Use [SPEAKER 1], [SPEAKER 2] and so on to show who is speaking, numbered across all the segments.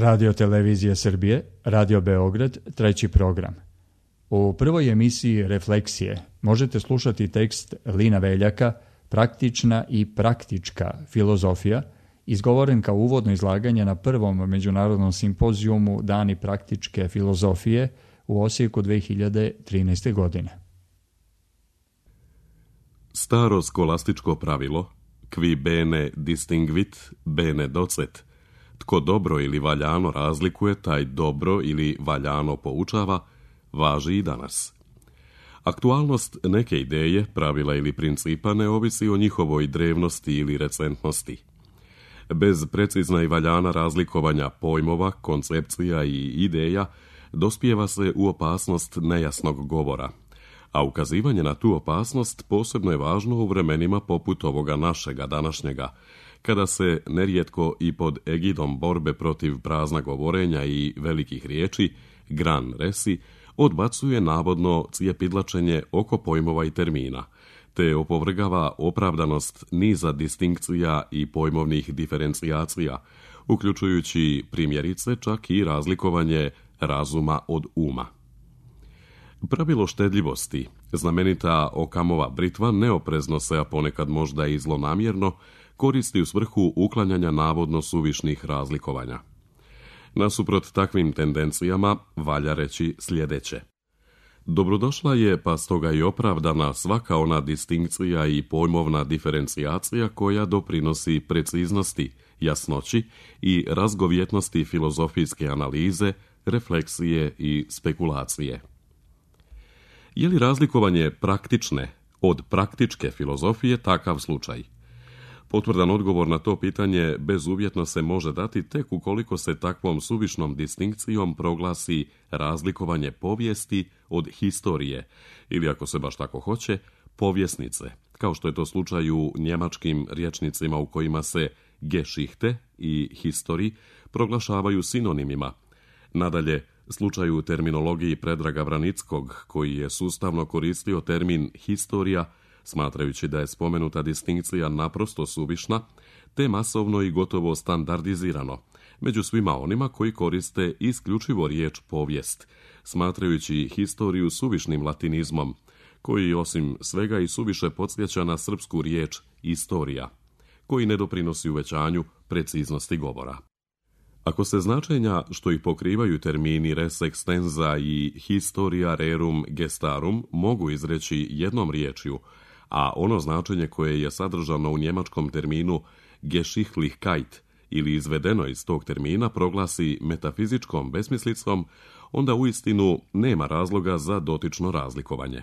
[SPEAKER 1] Radio Televizije Srbije, Radio Beograd, treći program. U prvoj emisiji Refleksije možete slušati tekst Lina Veljaka Praktična i praktička filozofija, izgovoren kao uvodno izlaganje na prvom međunarodnom simpozijumu Dani praktičke filozofije u Osijeku 2013. godine.
[SPEAKER 2] Staro skolastičko pravilo, qui bene distinguit, bene docet, tko dobro ili valjano razlikuje, taj dobro ili valjano poučava, važi i danas. Aktualnost neke ideje, pravila ili principa ne ovisi o njihovoj drevnosti ili recentnosti. Bez precizna i valjana razlikovanja pojmova, koncepcija i ideja dospijeva se u opasnost nejasnog govora, a ukazivanje na tu opasnost posebno je važno u vremenima poput ovoga našega današnjega, kada se nerijetko i pod egidom borbe protiv prazna govorenja i velikih riječi, gran resi, odbacuje navodno cijepidlačenje oko pojmova i termina, te opovrgava opravdanost niza distinkcija i pojmovnih diferencijacija, uključujući primjerice čak i razlikovanje razuma od uma. Pravilo štedljivosti, znamenita Okamova britva, neoprezno se, a ponekad možda i zlonamjerno, koristi u svrhu uklanjanja navodno suvišnih razlikovanja. Nasuprot takvim tendencijama valja reći sljedeće. Dobrodošla je, pa stoga i opravdana, svaka ona distinkcija i pojmovna diferencijacija koja doprinosi preciznosti, jasnoći i razgovjetnosti filozofijske analize, refleksije i spekulacije. Je li razlikovanje praktične od praktičke filozofije takav slučaj? Potvrdan odgovor na to pitanje bezuvjetno se može dati tek ukoliko se takvom suvišnom distinkcijom proglasi razlikovanje povijesti od historije, ili ako se baš tako hoće, povjesnice, kao što je to slučaj u njemačkim rječnicima u kojima se Geschichte i History proglašavaju sinonimima. Nadalje, slučaj u terminologiji Predraga Vranickog, koji je sustavno koristio termin historija, smatrajući da je spomenuta distinkcija naprosto suvišna, te masovno i gotovo standardizirano, među svima onima koji koriste isključivo riječ povijest, smatrajući historiju suvišnim latinizmom, koji osim svega i suviše podsjeća na srpsku riječ istorija, koji ne doprinosi uvećanju preciznosti govora. Ako se značenja što ih pokrivaju termini res extensa i historia rerum gestarum mogu izreći jednom riječju, a ono značenje koje je sadržano u njemačkom terminu Geschichtlichkeit ili izvedeno iz tog termina proglasi metafizičkom besmislicom, onda uistinu nema razloga za dotično razlikovanje.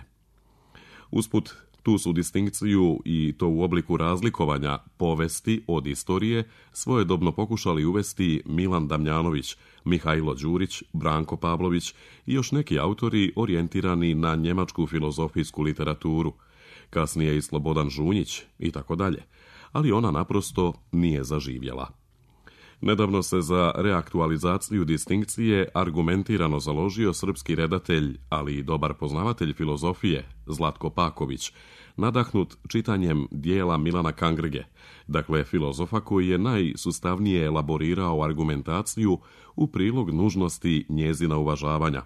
[SPEAKER 2] Usput, tu su distinkciju i to u obliku razlikovanja povesti od istorije svojedobno pokušali uvesti Milan Damjanović, Mihajlo Đurić, Branko Pavlović i još neki autori orijentirani na njemačku filozofijsku literaturu, kasnije i Slobodan Žunjić i tako dalje, ali ona naprosto nije zaživjela. Nedavno se za reaktualizaciju distinkcije argumentirano založio srpski redatelj, ali i dobar poznavatelj filozofije, Zlatko Paković, nadahnut čitanjem dijela Milana Kangrge, dakle filozofa koji je najsustavnije elaborirao argumentaciju u prilog nužnosti njezina uvažavanja,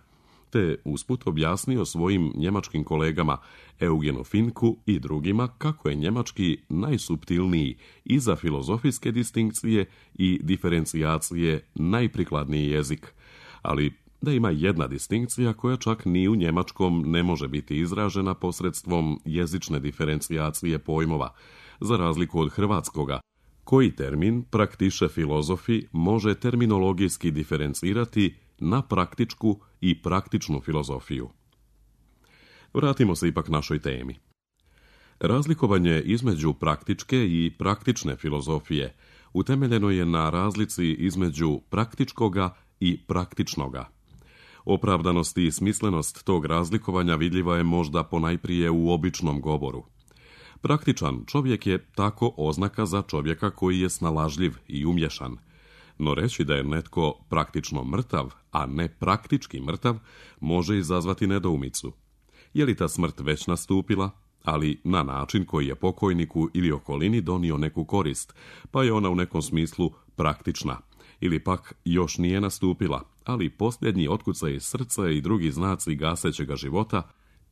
[SPEAKER 2] te usput objasnio svojim njemačkim kolegama Eugenu Finku i drugima kako je njemački najsuptilniji i za filozofijske distinkcije i diferencijacije najprikladniji jezik, ali da ima jedna distinkcija koja čak ni u njemačkom ne može biti izražena posredstvom jezične diferencijacije pojmova, za razliku od hrvatskoga, koji termin praktiše filozofi može terminologijski diferencirati na praktičku i praktičnu filozofiju. Vratimo se ipak našoj temi. Razlikovanje između praktičke i praktične filozofije utemeljeno je na razlici između praktičkoga i praktičnoga. Opravdanost i smislenost tog razlikovanja vidljiva je možda ponajprije u običnom govoru. Praktičan čovjek je tako oznaka za čovjeka koji je snalažljiv i umješan, no reći da je netko praktično mrtav, a ne praktički mrtav, može izazvati nedoumicu. Je li ta smrt već nastupila, ali na način koji je pokojniku ili okolini donio neku korist, pa je ona u nekom smislu praktična, ili pak još nije nastupila, ali posljednji otkucaj srca i drugi znaci gasećega života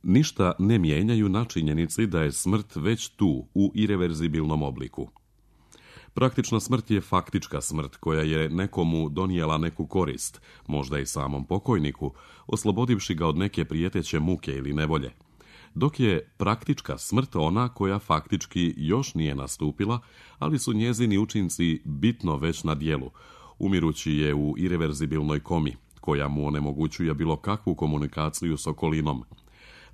[SPEAKER 2] ništa ne mijenjaju na činjenici da je smrt već tu u ireverzibilnom obliku. Praktična smrt je faktička smrt koja je nekomu donijela neku korist, možda i samom pokojniku, oslobodivši ga od neke prijeteće muke ili nevolje. Dok je praktička smrt ona koja faktički još nije nastupila, ali su njezini učinci bitno već na djelu, umirući je u ireverzibilnoj komi, koja mu onemogućuje bilo kakvu komunikaciju s okolinom.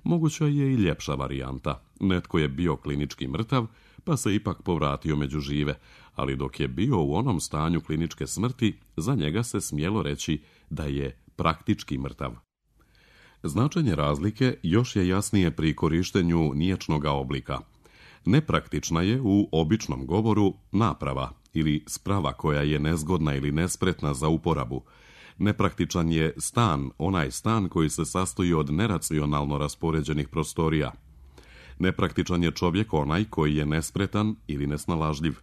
[SPEAKER 2] Moguća je i ljepša varijanta. Netko je bio klinički mrtav, pa se ipak povratio među žive, ali dok je bio u onom stanju kliničke smrti, za njega se smjelo reći da je praktički mrtav. Značenje razlike još je jasnije pri korištenju niječnoga oblika. Nepraktična je u običnom govoru naprava ili sprava koja je nezgodna ili nespretna za uporabu. Nepraktičan je stan, onaj stan koji se sastoji od neracionalno raspoređenih prostorija. Nepraktičan je čovjek onaj koji je nespretan ili nesnalažljiv.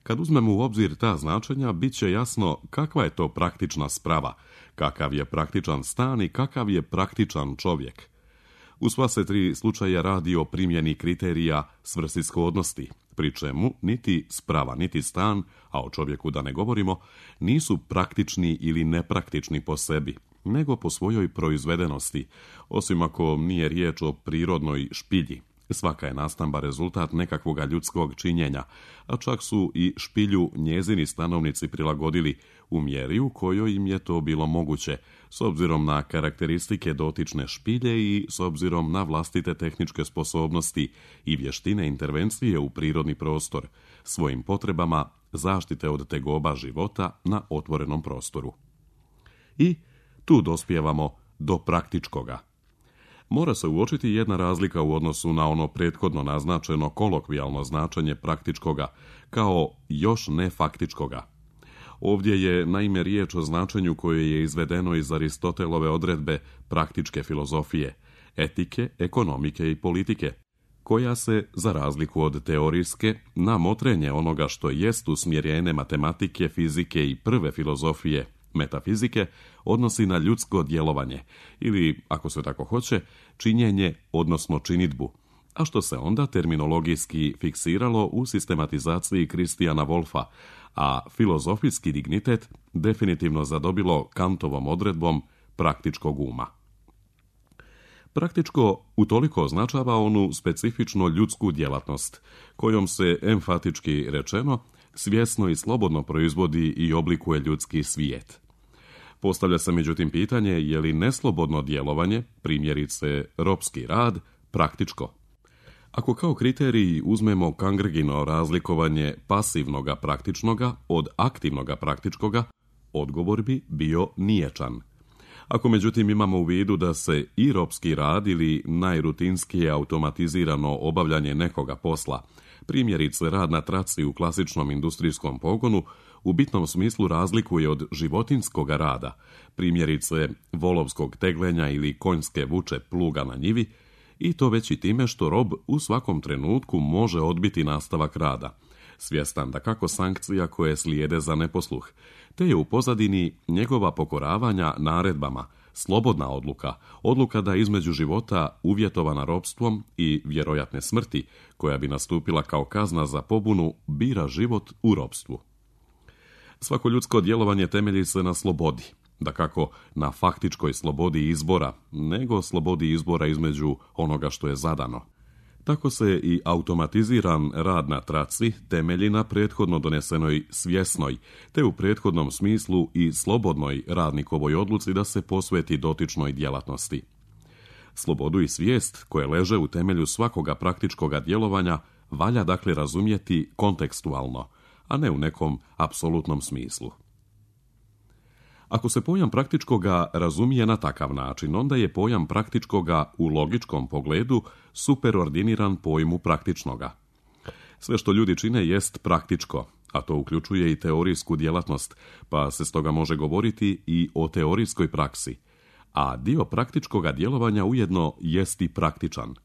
[SPEAKER 2] Kad uzmemo u obzir ta značenja, bit će jasno kakva je to praktična sprava, kakav je praktičan stan i kakav je praktičan čovjek. U sva se tri slučaja radi o primjeni kriterija svrsishodnosti, pri čemu niti sprava, niti stan, a o čovjeku da ne govorimo, nisu praktični ili nepraktični po sebi, nego po svojoj proizvedenosti, osim ako nije riječ o prirodnoj špilji. Svaka je nastamba rezultat nekakvoga ljudskog činjenja, a čak su i špilju njezini stanovnici prilagodili u mjeri u kojoj im je to bilo moguće, s obzirom na karakteristike dotične špilje i s obzirom na vlastite tehničke sposobnosti i vještine intervencije u prirodni prostor, svojim potrebama zaštite od tegoba života na otvorenom prostoru. I tu dospijevamo do praktičkoga. Mora se uočiti jedna razlika u odnosu na ono prethodno naznačeno kolokvijalno značenje praktičkoga, kao još ne faktičkoga. Ovdje je naime riječ o značenju koje je izvedeno iz Aristotelove odredbe praktičke filozofije, etike, ekonomike i politike, koja se, za razliku od teorijske, na motrenje onoga što jest usmjerene matematike, fizike i prve filozofije, metafizike, odnosi na ljudsko djelovanje, ili, ako se tako hoće, činjenje, odnosno činidbu, a što se onda terminologijski fiksiralo u sistematizaciji Kristijana Wolfa, a filozofijski dignitet definitivno zadobilo Kantovom odredbom praktičkog uma. Praktičko utoliko označava onu specifično ljudsku djelatnost, kojom se, emfatički rečeno, svjesno i slobodno proizvodi i oblikuje ljudski svijet. Postavlja se međutim pitanje je li neslobodno djelovanje, primjerice ropski rad, praktičko. Ako kao kriterij uzmemo Kangrgino razlikovanje pasivnoga praktičnoga od aktivnoga praktičkoga, odgovor bi bio niječan. Ako međutim imamo u vidu da se i ropski rad ili najrutinskije automatizirano obavljanje nekoga posla, primjerice rad na traci u klasičnom industrijskom pogonu, u bitnom smislu razlikuje od životinjskog rada, primjerice volovskog teglenja ili konjske vuče pluga na njivi, i to već i time što rob u svakom trenutku može odbiti nastavak rada, svjestan da kako sankcija koje slijede za neposluh, te je u pozadini njegova pokoravanja naredbama, slobodna odluka da između života uvjetovana ropstvom i vjerojatne smrti, koja bi nastupila kao kazna za pobunu, bira život u ropstvu. Svako ljudsko djelovanje temelji se na slobodi, dakako na faktičkoj slobodi izbora, nego slobodi izbora između onoga što je zadano. Tako se i automatiziran rad na traci temelji na prethodno donesenoj svjesnoj, te u prethodnom smislu i slobodnoj radnikovoj odluci da se posveti dotičnoj djelatnosti. Slobodu i svijest koje leže u temelju svakoga praktičkoga djelovanja valja dakle razumjeti kontekstualno, a ne u nekom apsolutnom smislu. Ako se pojam praktičkoga razumije na takav način, onda je pojam praktičkoga u logičkom pogledu superordiniran pojmu praktičnoga. Sve što ljudi čine jest praktičko, a to uključuje i teorijsku djelatnost, pa se stoga može govoriti i o teorijskoj praksi, a dio praktičkoga djelovanja ujedno jest i praktičan.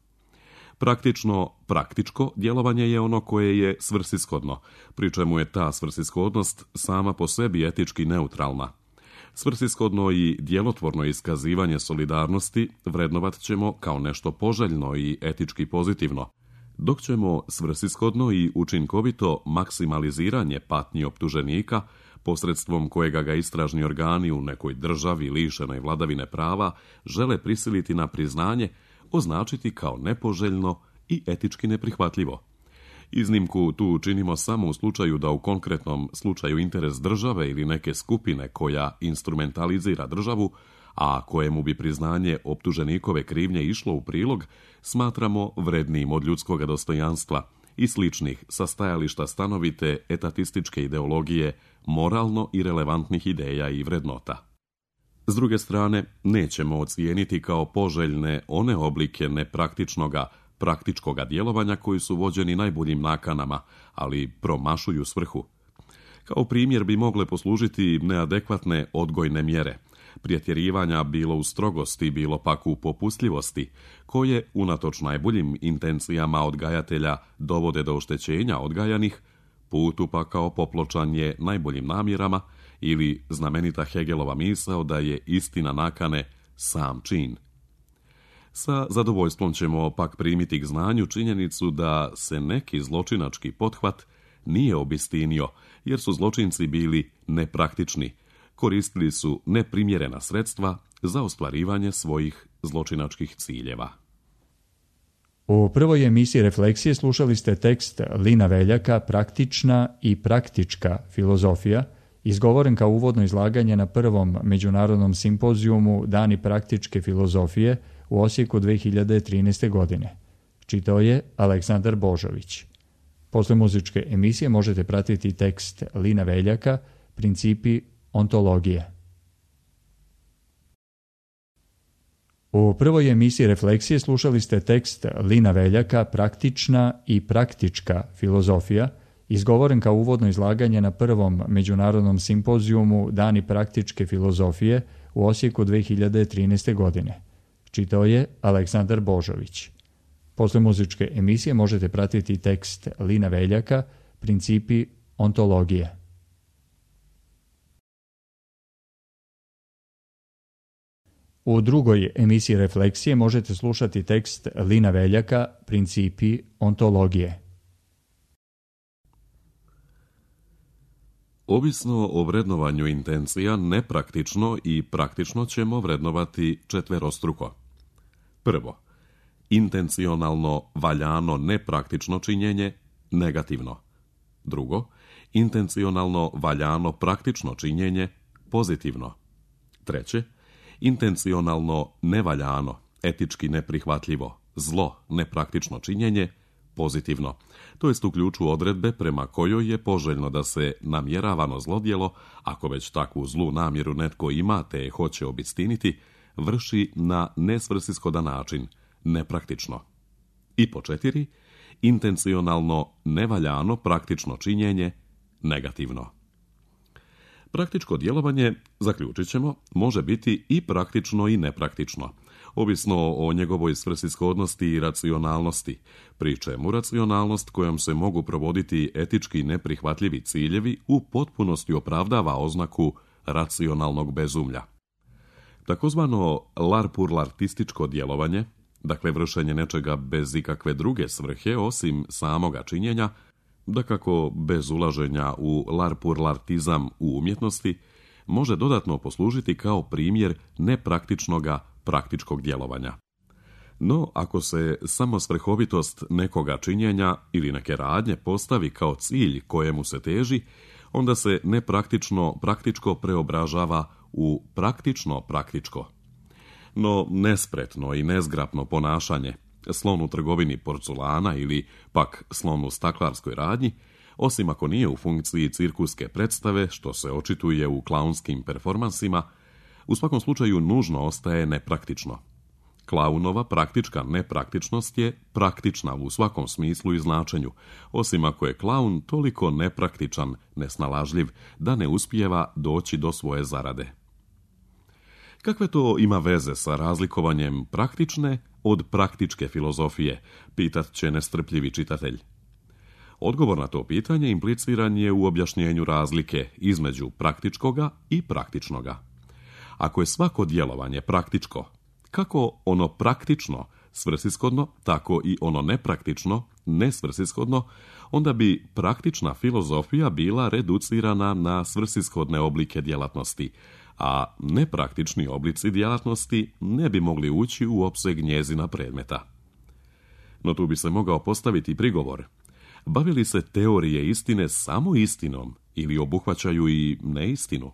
[SPEAKER 2] Praktičko djelovanje je ono koje je svrsishodno, pri čemu je ta svrsishodnost sama po sebi etički neutralna. Svrsishodno i djelotvorno iskazivanje solidarnosti vrednovat ćemo kao nešto poželjno i etički pozitivno, dok ćemo svrsishodno i učinkovito maksimaliziranje patnji optuženika, posredstvom kojega ga istražni organi u nekoj državi lišenoj vladavine prava žele prisiliti na priznanje, označiti kao nepoželjno i etički neprihvatljivo. Iznimku tu činimo samo u slučaju da u konkretnom slučaju interes države ili neke skupine koja instrumentalizira državu, a kojemu bi priznanje optuženikove krivnje išlo u prilog, smatramo vrednijim od ljudskog dostojanstva i sličnih sa stajališta stanovite etatističke ideologije, moralno i relevantnih ideja i vrednota. S druge strane, nećemo ocijeniti kao poželjne one oblike praktičkoga djelovanja koji su vođeni najboljim nakanama, ali promašuju svrhu. Kao primjer bi mogle poslužiti neadekvatne odgojne mjere, pretjerivanja bilo u strogosti, bilo pak u popustljivosti, koje, unatoč najboljim intencijama odgajatelja, dovode do oštećenja odgajanih, putu pa kao popločanje najboljim namjerama, ili znamenita Hegelova misao da je istina nakane sam čin. Sa zadovoljstvom ćemo pak primiti k znanju činjenicu da se neki zločinački pothvat nije obistinio, jer su zločinci bili nepraktični, koristili su neprimjerena sredstva za ostvarivanje svojih zločinačkih ciljeva.
[SPEAKER 1] U prvoj emisiji Refleksije slušali ste tekst Lina Veljaka Praktična i praktička filozofija, izgovoren kao uvodno izlaganje na prvom međunarodnom simpozijumu Dani praktičke filozofije u Osijeku 2013. godine. Čitao je Aleksandar Božović. Posle muzičke emisije možete pratiti tekst Lina Veljaka Principi ontologije. U prvoj emisiji Refleksije slušali ste tekst Lina Veljaka Praktična i praktička filozofija, izgovoren kao uvodno izlaganje na prvom međunarodnom simpozijumu Dani praktičke filozofije u Osijeku 2013. godine. Čitao je Aleksandar Božović. Posle muzičke emisije možete pratiti tekst Lina Veljaka Principi ontologije. U drugoj emisiji Refleksije možete slušati tekst Lina Veljaka Principi ontologije.
[SPEAKER 2] Ovisno o vrednovanju intencija, nepraktično i praktično ćemo vrednovati četverostruko. Prvo, intencionalno valjano nepraktično činjenje, negativno. Drugo, intencionalno valjano praktično činjenje, pozitivno. Treće, intencionalno nevaljano, etički neprihvatljivo, zlo, nepraktično činjenje, pozitivno, to jest u ključu odredbe prema kojoj je poželjno da se namjeravano zlodjelo, ako već takvu zlu namjeru netko ima te je hoće obistiniti, vrši na nesvrsishodan način, nepraktično. I po 4, intencionalno nevaljano praktično činjenje, negativno. Praktičko djelovanje, zaključit ćemo, može biti i praktično i nepraktično, ovisno o njegovoj svrsishodnosti i racionalnosti, pri čemu racionalnost kojom se mogu provoditi etički neprihvatljivi ciljevi u potpunosti opravdava oznaku racionalnog bezumlja. Takozvano larpurlartističko djelovanje, dakle vršenje nečega bez ikakve druge svrhe osim samoga činjenja, dakako bez ulaženja u larpurlartizam u umjetnosti, može dodatno poslužiti kao primjer nepraktičnoga praktičkog djelovanja. No, ako se samo svrhovitost nekoga činjenja ili neke radnje postavi kao cilj kojemu se teži, onda se nepraktično praktičko preobražava u praktično praktičko. No, nespretno i nezgrapno ponašanje, slon u trgovini porculana ili pak slon u staklarskoj radnji, osim ako nije u funkciji cirkuske predstave, što se očituje u klaunskim performansima, u svakom slučaju nužno ostaje nepraktično. Klaunova praktička nepraktičnost je praktična u svakom smislu i značenju, osim ako je klaun toliko nepraktičan, nesnalažljiv, da ne uspijeva doći do svoje zarade. Kakve to ima veze sa razlikovanjem praktične od praktičke filozofije, pitat će nestrpljivi čitatelj. Odgovor na to pitanje impliciran je u objašnjenju razlike između praktičkoga i praktičnoga. Ako je svako djelovanje praktičko, kako ono praktično svrsishodno, tako i ono nepraktično nesvrsishodno, onda bi praktična filozofija bila reducirana na svrsishodne oblike djelatnosti, a nepraktični oblici djelatnosti ne bi mogli ući u opseg njezina predmeta. No tu bi se mogao postaviti prigovor. Bavi li se teorije istine samo istinom ili obuhvaćaju i neistinu?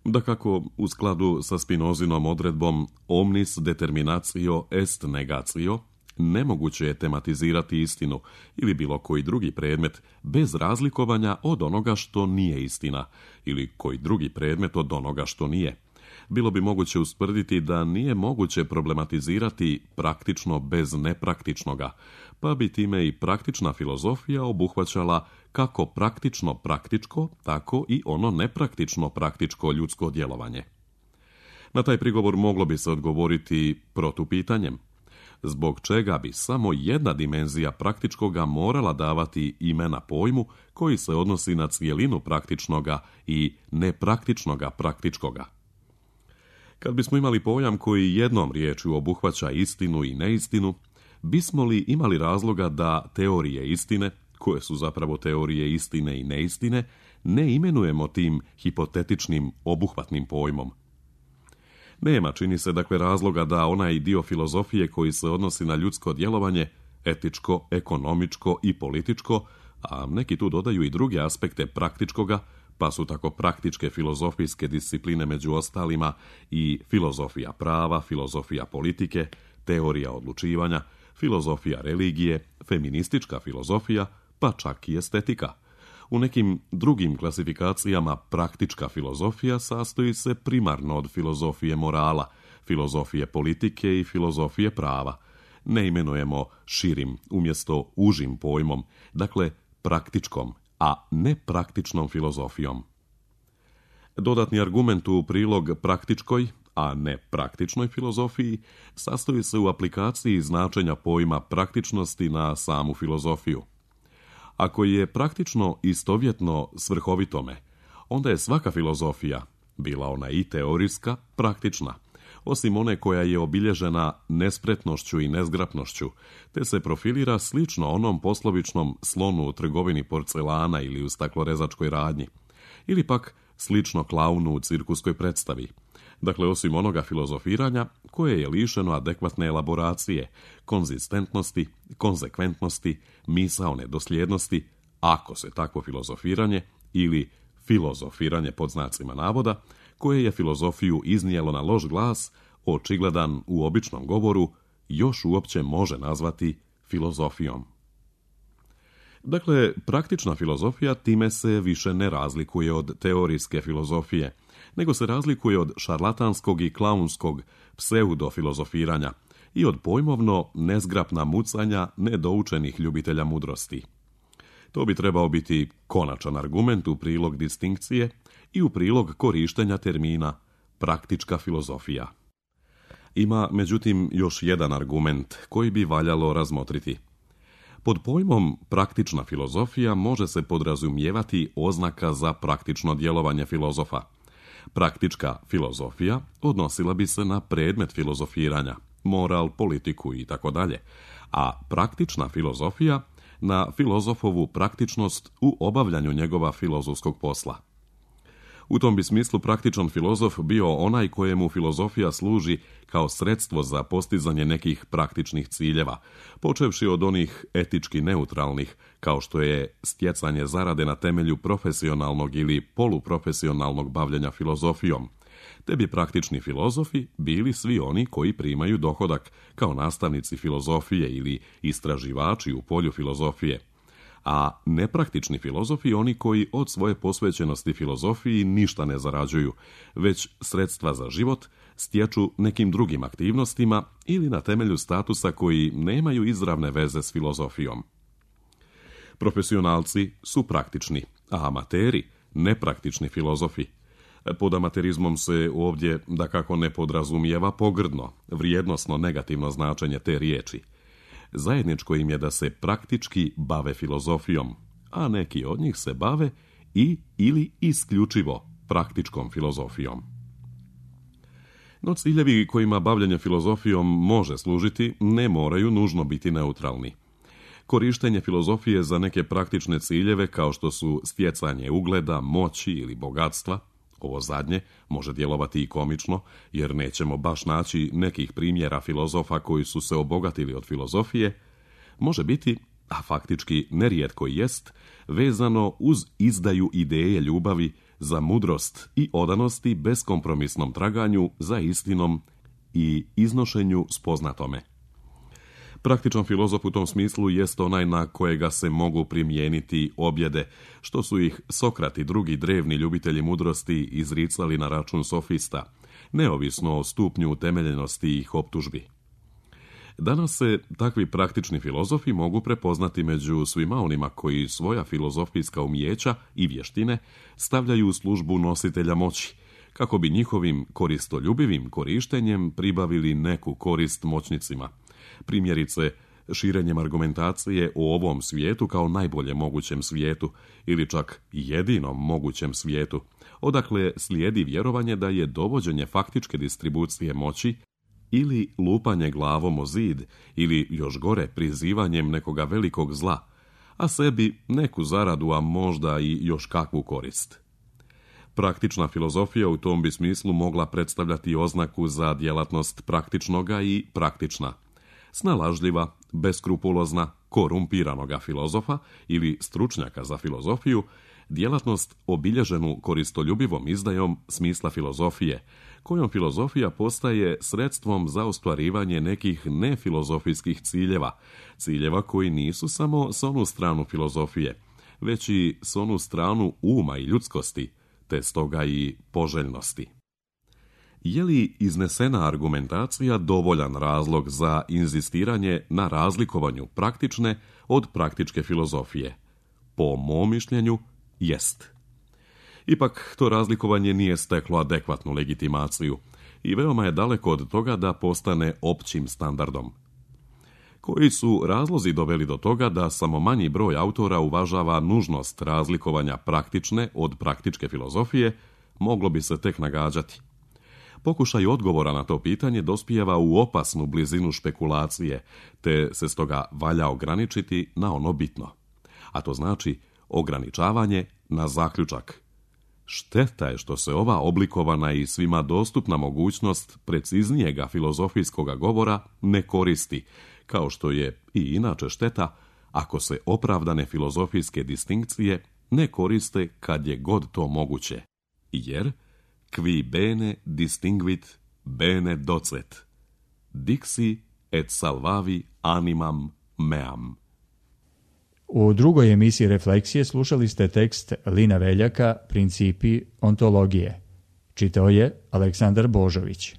[SPEAKER 2] Dakako, u skladu sa Spinozinom odredbom omnis determinatio est negatio, nemoguće je tematizirati istinu ili bilo koji drugi predmet bez razlikovanja od onoga što nije istina ili koji drugi predmet od onoga što nije. Bilo bi moguće ustvrditi da nije moguće problematizirati praktično bez nepraktičnoga, pa bi time i praktična filozofija obuhvaćala kako praktično praktičko, tako i ono nepraktično praktičko ljudsko djelovanje. Na taj prigovor moglo bi se odgovoriti protupitanjem. Zbog čega bi samo jedna dimenzija praktičkoga morala davati imena pojmu koji se odnosi na cijelinu praktičnoga i nepraktičnoga praktičkoga? Kad bismo imali pojam koji jednom riječju obuhvaća istinu i neistinu, bismo li imali razloga da teorije istine, koje su zapravo teorije istine i neistine, ne imenujemo tim hipotetičnim obuhvatnim pojmom? Nema, čini se, dakle, razloga da onaj dio filozofije koji se odnosi na ljudsko djelovanje, etičko, ekonomičko i političko, a neki tu dodaju i druge aspekte praktičkoga, pa su tako praktičke filozofijske discipline među ostalima i filozofija prava, filozofija politike, teorija odlučivanja, filozofija religije, feministička filozofija, pa čak i estetika. U nekim drugim klasifikacijama praktička filozofija sastoji se primarno od filozofije morala, filozofije politike i filozofije prava. Ne imenujemo širim umjesto užim pojmom, dakle praktičkom, a ne praktičnom filozofijom. Dodatni argument u prilog praktičkoj, a ne praktičnoj filozofiji, sastoji se u aplikaciji značenja pojma praktičnosti na samu filozofiju. Ako je praktično istovjetno svrhovitome, onda je svaka filozofija, bila ona i teorijska, praktična, osim one koja je obilježena nespretnošću i nezgrapnošću, te se profilira slično onom poslovičnom slonu u trgovini porcelana ili u staklorezačkoj radnji, ili pak slično klaunu u cirkuskoj predstavi. Dakle, osim onoga filozofiranja koje je lišeno adekvatne elaboracije, konzistentnosti, konzekventnosti, misaone dosljednosti, ako se takvo filozofiranje ili filozofiranje pod znacima navoda, koje je filozofiju iznijelo na loš glas, očigledan u običnom govoru, još uopće može nazvati filozofijom. Dakle, praktična filozofija time se više ne razlikuje od teorijske filozofije, nego se razlikuje od šarlatanskog i klaunskog pseudofilozofiranja i od pojmovno nezgrapna mucanja nedoučenih ljubitelja mudrosti. To bi trebao biti konačan argument u prilog distinkcije i u prilog korištenja termina praktička filozofija. Ima, međutim, još jedan argument koji bi valjalo razmotriti. Pod pojmom praktična filozofija može se podrazumijevati oznaka za praktično djelovanje filozofa. Praktička filozofija odnosila bi se na predmet filozofiranja, moral, politiku i tako dalje, a praktična filozofija na filozofovu praktičnost u obavljanju njegova filozofskog posla. U tom bi smislu praktičan filozof bio onaj kojemu filozofija služi kao sredstvo za postizanje nekih praktičnih ciljeva, počevši od onih etički neutralnih, kao što je stjecanje zarade na temelju profesionalnog ili poluprofesionalnog bavljenja filozofijom, te bi praktični filozofi bili svi oni koji primaju dohodak kao nastavnici filozofije ili istraživači u polju filozofije, a nepraktični filozofi oni koji od svoje posvećenosti filozofiji ništa ne zarađuju, već sredstva za život stječu nekim drugim aktivnostima ili na temelju statusa koji nemaju izravne veze s filozofijom. Profesionalci su praktični, a amateri nepraktični filozofi. Pod amaterizmom se ovdje dakako ne podrazumijeva pogrdno, vrijednosno negativno značenje te riječi. Zajedničko im je da se praktički bave filozofijom, a neki od njih se bave ili isključivo praktičkom filozofijom. No ciljevi kojima bavljenje filozofijom može služiti ne moraju nužno biti neutralni. Korištenje filozofije za neke praktične ciljeve kao što su stjecanje ugleda, moći ili bogatstva, ovo zadnje može djelovati i komično, jer nećemo baš naći nekih primjera filozofa koji su se obogatili od filozofije, može biti, a faktički nerijetko jest, vezano uz izdaju ideje ljubavi za mudrost i odanosti beskompromisnom traganju za istinom i iznošenju spoznatome. Praktičan filozof u tom smislu jest onaj na kojega se mogu primijeniti objede, što su ih Sokrat i drugi drevni ljubitelji mudrosti izricali na račun sofista, neovisno o stupnju utemeljenosti ih optužbi. Danas se takvi praktični filozofi mogu prepoznati među svima onima koji svoja filozofijska umijeća i vještine stavljaju u službu nositelja moći, kako bi njihovim koristoljubivim korištenjem pribavili neku korist moćnicima. Primjerice, širenjem argumentacije o ovom svijetu kao najbolje mogućem svijetu ili čak jedinom mogućem svijetu, odakle slijedi vjerovanje da je dovođenje faktičke distribucije moći ili lupanje glavom o zid ili još gore prizivanjem nekoga velikog zla, a sebi neku zaradu, a možda i još kakvu korist. Praktična filozofija u tom bi smislu mogla predstavljati oznaku za djelatnost praktičnoga i praktična, snalažljiva, beskrupulozna, korumpiranoga filozofa ili stručnjaka za filozofiju, djelatnost obilježenu koristoljubivom izdajom smisla filozofije, kojom filozofija postaje sredstvom za ostvarivanje nekih nefilozofijskih ciljeva koji nisu samo s onu stranu filozofije, već i s onu stranu uma i ljudskosti, te stoga i poželjnosti. Je li iznesena argumentacija dovoljan razlog za inzistiranje na razlikovanju praktične od praktičke filozofije? Po mom mišljenju, jest. Ipak, to razlikovanje nije steklo adekvatnu legitimaciju i veoma je daleko od toga da postane općim standardom. Koji su razlozi doveli do toga da samo manji broj autora uvažava nužnost razlikovanja praktične od praktičke filozofije, moglo bi se tek nagađati. Pokušaj odgovora na to pitanje dospijeva u opasnu blizinu špekulacije, te se stoga valja ograničiti na ono bitno. A to znači ograničavanje na zaključak. Šteta je što se ova oblikovana i svima dostupna mogućnost preciznijega filozofijskoga govora ne koristi, kao što je i inače šteta ako se opravdane filozofijske distinkcije ne koriste kad je god to moguće. Jer qui bene distinguit bene docet, dixi et salvavi animam meam.
[SPEAKER 1] U drugoj emisiji Refleksije slušali ste tekst Lina Veljaka Principi ontologije. Čitao je Aleksandar Božović.